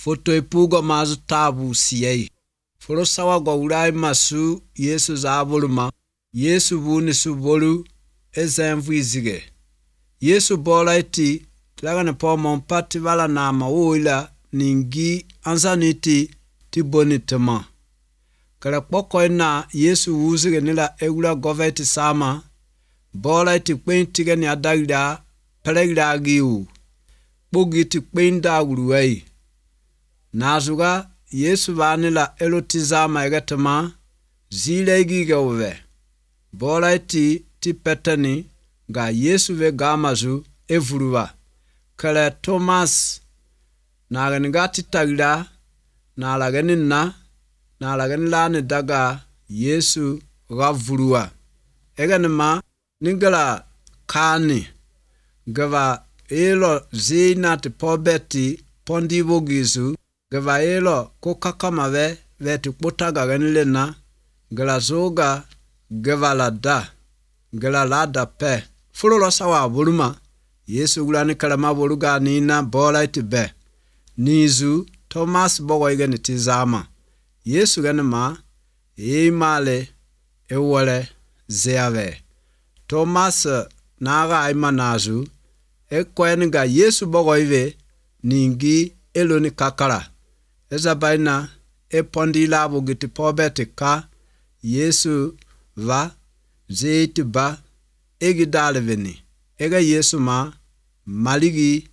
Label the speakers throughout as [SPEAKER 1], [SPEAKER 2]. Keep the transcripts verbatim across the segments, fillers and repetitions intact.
[SPEAKER 1] Foto ipugo mazu tabu siyei. Foro sawa go urai masu Yesu za boluma. Yesu buni su bolu ezemvu izige. Yesu bola iti tilaga ne po mompati wala na mawuila ningi anzaniti ti boni tema. Kala poko ina Yesu uzige nila egula goveti sama. Bola iti kwen tige ni adagida pelegida giu. Bugi ti kwen da uruwei. Nazuga Yesu vanila elotizama egatema zile giga uwe. Bola iti ti petani ga Yesu ve gamazu evuruwa. Kala Thomas na ganiga titagida na lagani na na lagani lani daga Yesu gavuruwa. Eganima ningala kani gava elo zina ti pobeti pondivo gizu gava elo kukakamave veti kutaga ganilena gala zoga gava lada gala lada pe fulo sawa buluma Yesu gulani kalama buluga nina bola itibe nizu Thomas bogo igani tizama Yesu ganima imale ewole zeave Thomas naga aima nazu ekwenga Yesu bogo ive ningi eloni kakara ezabaina epondila bugiti pobeti ka Yesu va zeiti ba egi dalveni ega Yesu ma maligi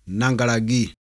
[SPEAKER 1] nangalagi